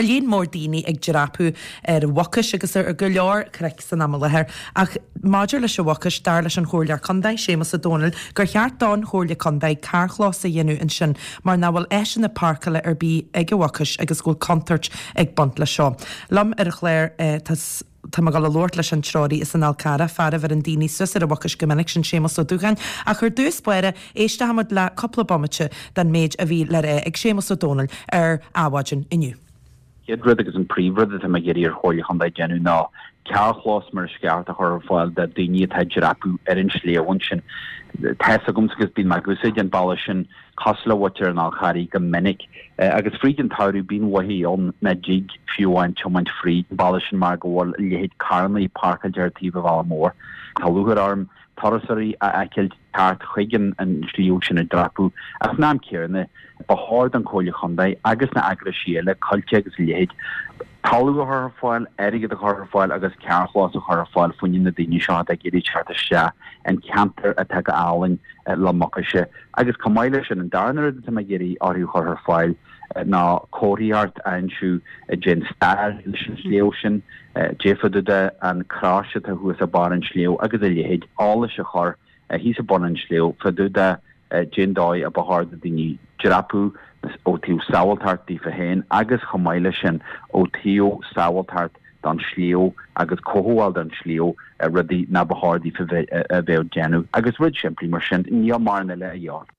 Tá líon mór daoine ag dreapadh ar an Mhucais agus ar go leor cnoic san am i láthair ach maidir leis an Mhucais, dar leis an Chomhairleoir Contae, Séamus Ó Domhnaill, gur cheart don Chomhairle Contae carrchlós a dhéanamh ansin mar nach bhfuil áiseanna páirceála ar bith ag an Mhucais agus go bhfuil contúirt ag baint leis seo. Liom ar an chlár tá. Tá mé ag dul a labhairt leis an treoraí as an Fhál Carrach, fear a bheireann daoine suas ar an Mhucais go minic, sin Séamus Ó Dúcháin. Ach ar dtús báire, éistfimid le cúpla bomaite den méid a bhí le rá ag Séamus Ó Domhnaill ar Adhmhaidin inniu. Chéad rud agus an príomhrud atá mé ag iarraidh ar Chomhairle Chontae déanamh ná carrchlós mar is ceart a chur ar fáil do daoine atá ag dreapadh ar an sliabh ansin. Tá's agamsa agus bíonn mé ag úsáid an bealach sin cosúil le muintir an Fháil Charraigh go minic agus fríd an tsamhradh bíonn uaithi ann nach dtig fiú amháin tiomáint fríd an bealach sin mar go bhfuil a leithéid carrannaí páirceáilte ar taobh an bhealaigh mhóir. Tá lúcháir orm turasóirí a fheiceáil teacht chuig an sliabh sin ag dreapadh ach san am céanna ba chóir don Chomhairle Chontae agus na eagraisí eile, Coillte agus a leithéid, talamh a chur ar fáil, airgead a chur ar fáil agus carrchlós a chur ar fáil fá choinne na daoine seo atá ag iarraidh teacht isteach an ceantar atá go álainn le Mucais. Agus chomh maith leis sin, an darna rud atá mé ag iarraidh orthu a chur ar fáil ná comharthaíocht a aimsiú a dtéann stair leis an sliabh sin, caidé fá dtaobh de an crois atá thuas ag barr an tsliabh agus a leithéid, eolais a chur thíos ag bun an tsliabh fá dtaobh de cén dóigh a ba chóir do daoine dreapadh ó taobh sábháilteacht daofa féin agus chomh maith leis sin ó taobh sábháilteacht don sliabh agus cothabháil don sliabh, rudaí ná ba chóir daofa a bheith ag déanamh agus rud simplí mar sin, níl mórán eile a dhíobháil.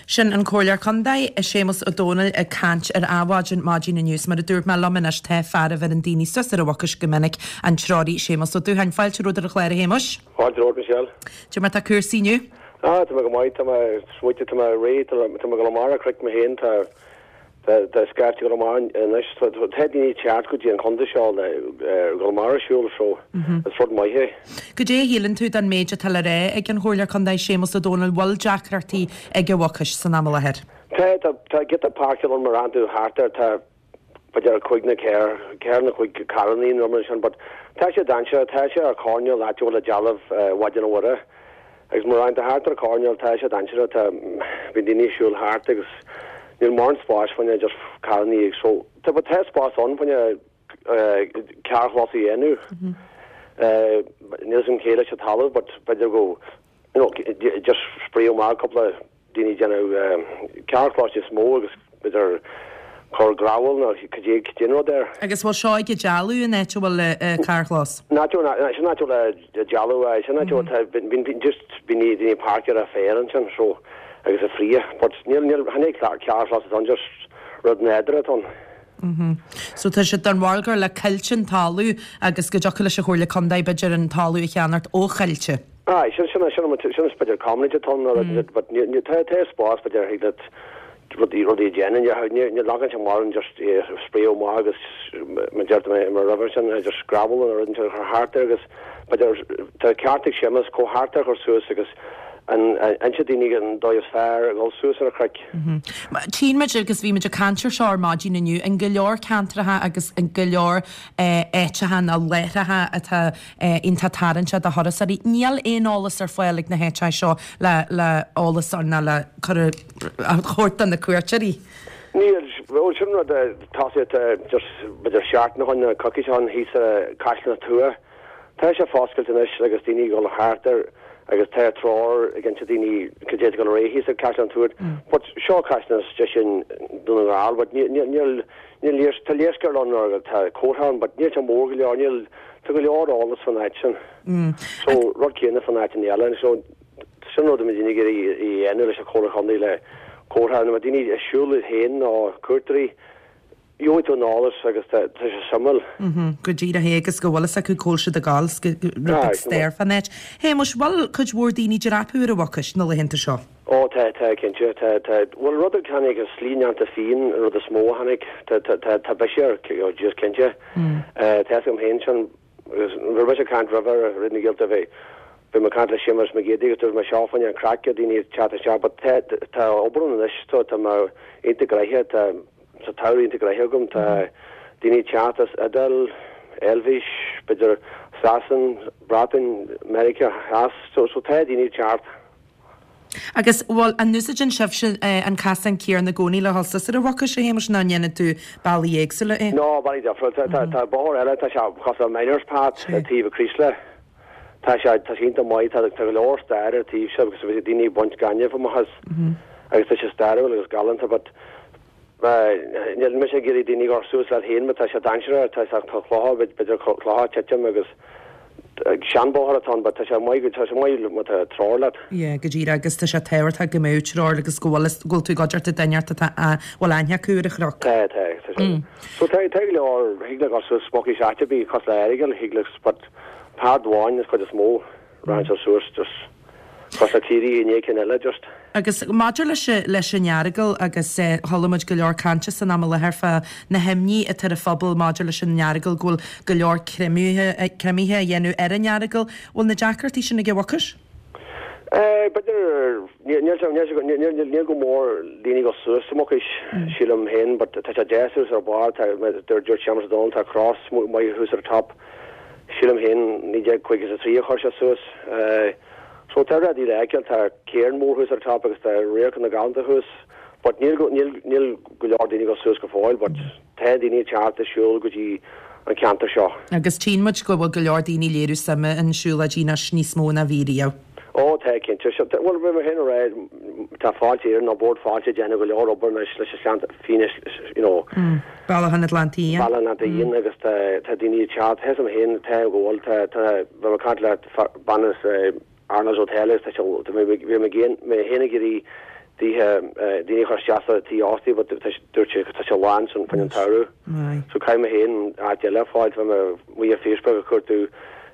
Sin an Comhairleoir Contae, Séamus Ó Domhnaill ag caint ar Adhmhaidin maidin inniu. Is mar a dúirt mé liom anois tá fear a bheireann daoine suas ar an Mhucais go minic, an treoraí Séamus Ó Dúcháin. Fáilte romhat ar an chlár a Shéamuis. Fáilte romhat Michelle. Cad é mar tá cúrsaí inniu? Ah, tá mé go maith, tá mé smaointe, tá mé réidh, tá mé ag dul amach ar chnoic mé féin, tá Tá scaifte ag dul amach anois. Tá daoine ag teacht go dtí an chontae seo le dhul amach ar siúl so is rud maith é. Goidé a shíleann tú den méid atá le rá ag an Chomhairleoir Contae Séamus Ó Domhnaill, bhfuil deacrachtaí ag an Mhucais san am i láthair? Tá, tá, tá giota páirceáil ann mar a tú thart air, tá b'fhéidir cúig nó ceithre, ceithre nó cúig carrannaí nó mar sin but tá sé dainséarach, tá sé ar choirnéal áit a bhfuil an dealbh Mhaighdean Mhuire. Agus má rachaidh tú thart ar an choirnéal tá sé dainséarach, tá, bíonn daoine ag siúl thart agus níl mórán spáis fá choinne just carrannaí ag so tá but tá spás ann fá choinne carrchlós a dhéanamh. Níl 'fhios a'm cé leis an talamh but b'fhéidir go you know just spréadh amach cúpla daoine ag déanamh carrchlós níos mó agus b'fhéidir cur gravel nó cad é cad é an rud air. Agus bhfuil seo ag an dealbh an áit a bhfuil an carrchlós? An áit a bhfuil, sin áit a bhfuil an dealbh, aye, sin áit a bhfuil, tá, bíonn, bíonn, just bíonn daoine ag páirceáil ar féar ansin so agus ag fríoth but níl, níl, chan é carrchlós atá ann just rud nádúrtha atá ann. Mhm. So tá siad den bharúil gur le Coillte an talamh agus go dtiocfadh leis an Chomhairle Contae b'fhéidir an talamh a cheannacht ó Choillte. Aye, sin, sin, sin, sin is b'fhéidir community atá ann, mm. but ní, ní, tá, tá spás b'fhéidir thig leat rudaí, rudaí a dhéanamh, ní, ní, ní leagann sé mórán just spréadh amach agus mar deir mé mar roimhe sin, just gravel nó rud inteacht a chur thart air agus b'fhéidir tá ceart ag Séamus comhartha a chur suas agus an, inse daoine an dóigh is fearr a dhul suas ar an chnoic. Tchíonn muid agus bhí muid ag caint ar seo ar maidin inniu, in go leor ceantracha agus in go leor áiteacha nó láithreacha atá iontach tarraingteach do thurasóirí. Níl aon eolas ar fáil ag na háiteacha seo le le eolas ná le cur a thabhairt do na cuairteoirí. Níl, bhuel sin rud a tosaíodh just b'fhéidir seachtain ó shin nó coicís ó shin thíos i Caisleán an Tuath. Tá sé foscailte anois agus daoine ag dul thart air agus tá treoir ag inse daoine cad é ag dul ar aghaidh thíos ag Caisleán an Tuath. But seo caisleán istigh sin Dún na nGall but níl níl níl léars tá léarscáil ann or tá comhartha ann but níl sé mór go leor níl tá go leor eolas fan áit sin. So rud céanna fan áit an eile so sin rud a mbeidh daoine ag iarraidh a dhéanamh leis an Chomhairle Chontae le comhartha nó daoine ag siúl iad féin nó cuairteoirí Gheobhaidh tú an eolas agus tá sé suimiúil. Go díreach é agus go bhfuil fhios acu cá bhfuil siad ag dul 's rud beag stair fán áit. Shéamuis, bhfuil cuid mhór daoine ag dreapadh ar an Mhucais na laethanta seo? Ó tá, tá, cinnte. Tá, tá. Bhuel rud a tháinig as Slí Neanta Fiann an rud is mó a tháinig. Tá, tá, tá, tá biseach air, oh jeez, cinnte. Tá fhios agam féin sin agus nuair a bhí mise ag caint roimhe ar Raidió na Gaeltachta bhí, bhí mé ag caint le Séamus Mac Géidigh agus dúirt mé seo fá choinne an craic daoine ag teacht isteach but tá, tá obair ann anois so tá mé iontach gnoitheach, tá, Tá samhradh iontach gnoitheach agam. Tá daoine ag teacht as Iodáil, Eilvéis, b'fhéidir Sasain, Breatain, Meiriceá Theas. So, so tá daoine ag teacht. Agus, bhuel, an úsáideann sibhse an casán céanna i gcónaí le dhul suas ar an Mhucais, a Shéamais, nó an ndéanann tú bealaí éagsúla é? No, bealaí difriúla. Tá, tá bóthar eile, tá sé cosúil le Miners Path ar taobh an Chraoslaigh. Tá sé, tá sé iontach maith, tá, tá go leor stair ar taobh seo agus bhí daoine ag baint gainimh amach as agus tá sé stairiúil agus galánta but níl mise ag iarraidh daoine a dhul suas leat féin mar tá sé dainséarach, tá, tá clocha, b'fhéidir clocha ag titim agus seanbhóthar atá ann but tá sé maith, tá sé maith má tá treoir leat. Yeah, go díreach agus tá sé tábhachtach go mbeadh treoir agus go bhfuil, go bhfuil tú ag cuideachta duine inteacht atá, a bhfuil aithne acu ar an chnoc. Tá, tá, tá sé. So tá, tá go leor, thig leat dhul suas Mucais áit ar bith cosúil le Earagail, thig leat but Páirc amháin is cuid is mó, raghann sé suas just cosúil le Ciarraí i ndiaidh cinn eile just. Agus maidir leis leis an Earagail agus chuala muid go leor cainte san am i láthair fá na himní atá ar an phobal maidir leis an Earagail go bhfuil go leor creimithe creimithe á dhéanamh ar an Earagail. Bhfuil na deacrachtaí sin ag an Mhucais? B'fhéidir, níl sé, níl sé, níl go mór daoine ag dul suas sa Mhucais, sílim féin, but tá sé deas thuas ar barr, tá, dúirt Séamus Ó Dónaill, tá cros maith thuas ar an top, sílim féin, 1953 a chuir sé suas. So tá rudaí le feiceáil, tá cairn mór thuas ar an top agus tá radharcanna galánta thuas, but níl, níl, níl go leor daoine ag dul suas go fóill, but. Tá daoine ag teacht ag siúl go dtí an ceantar seo. Agus tchíonn muid go bhfuil go leor daoine ag léiriú suime in siúlóidí anois níos mó ná bhí riamh. Ó tá, cinnte. Bhuel, bhí mé féin ag rá, tá Fáilte Éireann nó Bord Fáilte ag déanamh go leor obair anois leis an Sleannta Fiáine, you know. Bealach an Atlantaigh Fhiáin. Bealach an Atlantaigh Fhiáin agus tá tá daoine ag teacht, tá 'fhios a'm féin, tá go bhfuil, tá tá bhí mé ag caint le bean as Arnolds Hotel agus tá sé, bhí mé mé féin ag iarraidh daoithe, daoine a chur isteach sa tí óstaí but tá sé, dúirt sé tá sé lán san fá choinne an tsamhradh. So caithfidh mé féin áit eile a fháil, bhí mé amuigh ar Facebook ag cuartú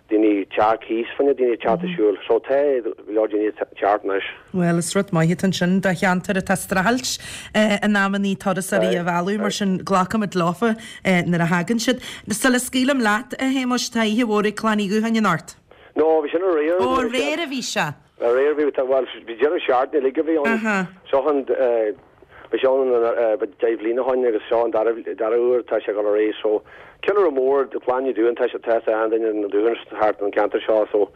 daoine teach cíos fá choinne daoine teacht ag siúl. So tá go leor daoine ag teacht anois. Bhuel is rud maith atá ansin do cheantar atá ag streachailt in amannaí turasóirí a mhealladh mar sin glacaimid leofa nuair a thagann siad. Sula scaoilim leat a Shéamuis, tá oíche mhór ag Clann Uí Dhúcháin anocht. No, bhí sin aréir. Ó, aréir a bhí sé. Aréir bhí, bhuel, bhí deireadh seachtaine uilig a bhí ann. Aha. Seo an, bhí sé ann 10 bhliain ó shoin agus seo an dara, dara huair atá sé ag dul ar aghaidh. So, ceiliúradh mór do Chlann Uí Dúcháin, tá sé, tá achan duine na Dúcháins thart an ceantar seo so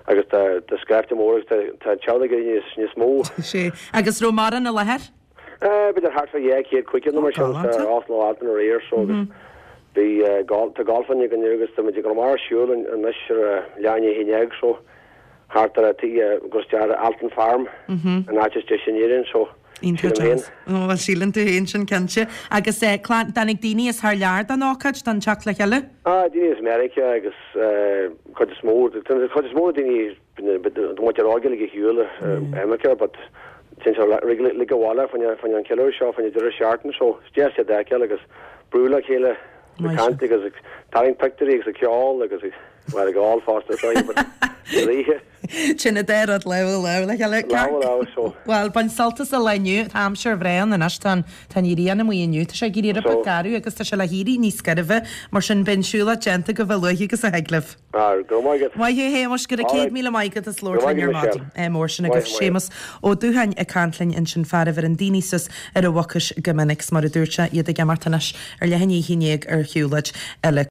agus tá, tá scaifte mór agus tá, tá an teaghlach ag éirí níos, níos mó. Sea. Agus raibh mórán i láthair? B'fhéidir thart fá 200, 500 nó mar sin sa Óstlann Alton aréir so agus bhí golf, tá golf againn inniu agus tá muid ag dul amach ar siúl anois ar a leath i ndiaidh a 11 so thart ar a tí agus ar Alton Farm an áit is deise in Éirinn so sílim féin. Ó bhuel síleann tú féin sin cinnte. Agus clann, dtáinig daoine as thar lear don ócáid, don teacht le chéile? Ah daoine as Meiriceá agus cuid is mó, cuid is mó daoine Muintir óg uilig ar shiúl i Meiriceá but téann siad uilig abhaile fá choinne an ceiliúradh seo, fá choinne deireadh seachtaine so is deas iad a fheiceáil agus brú le chéile ag caint agus ag tarraingt pictiúirí agus ag ceol agus ag, well ag ól fosta sorry but ar oíche. Sin an dá rud lámh i lámh le chéile. Lámh i lámh so. Bhuel, bain sult as an lá inniu, tá aimsir bhreá ann anois, tá an tá an ghrian amuigh inniu, tá sé ag éirí rud beag garbh agus tá sé le héirí níos gairbhe, mar sin beidh an siúlóid déanta agaibh a luaithe agus a thig libh. Go raibh maith agat. Maith thú a Shéamais, go raibh 100,000 maith agat as labhairt linn ar maidin. Ádh mór sin agaibh. Séamus Ó Dúcháin ag caint linn ansin, fear a bheireann daoine suas ar an Mhucais go minic, 's mar a dúirt sé, iad ag imeacht anois ar leath i ndiaidh a haon dhéag ar shiúlóid eile.